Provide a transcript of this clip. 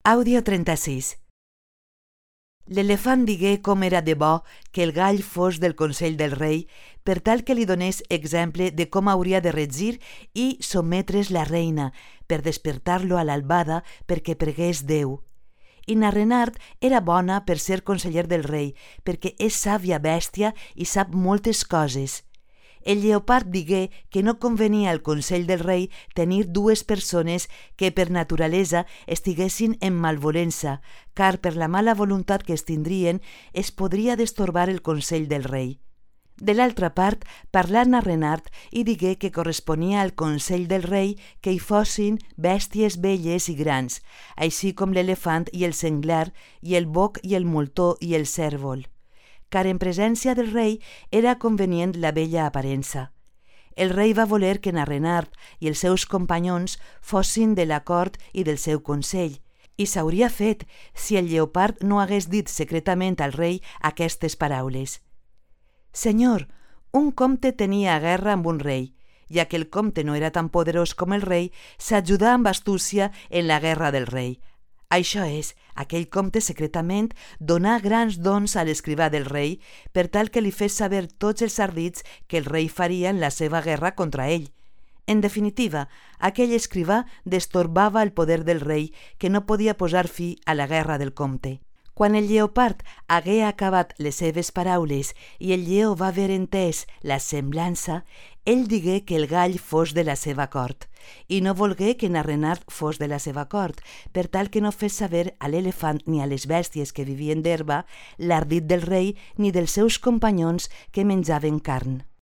Àudio 36. L'elefant digué com era de bo que el gall fos del consell del rei per tal que li donés exemple de com hauria de regir i sotmetre's la reina per despertar-lo a l'albada perquè pregués Déu. I na Renard era bona per ser conseller del rei perquè és sàvia bèstia i sap moltes coses. El lleopard digué que no convenia al consell del rei tenir dues persones que per naturalesa estiguessin en malvolença, car per la mala voluntat que es tindrien es podria destorbar el consell del rei. De l'altra part, parlà na Renard i digué que corresponia al consell del rei que hi fossin bèsties velles i grans, així com l'elefant i el senglar, i el boc i el moltó i el cèrvol, car en presència del rei era convenient la bella aparença. El rei va voler que na Renard i els seus companyons fossin de la cort i del seu consell, i s'hauria fet si el lleopard no hagués dit secretament al rei aquestes paraules. «Senyor, un comte tenia guerra amb un rei, ja que el comte no era tan poderós com el rei, s'ajudà amb astúcia en la guerra del rei. Això és, aquell comte secretament donà grans dons a l'escrivà del rei per tal que li fes saber tots els ardits que el rei faria en la seva guerra contra ell. En definitiva, aquell escrivà destorbava el poder del rei que no podia posar fi a la guerra del comte. Quan el lleopard hagué acabat les seves paraules i el lleó va haver entès la semblança, ell digué que el gall fos de la seva cort, i no volgué que na Renard fos de la seva cort, per tal que no fes saber a l'elefant ni a les bèsties que vivien d'herba l'ardit del rei ni dels seus companyons que menjaven carn.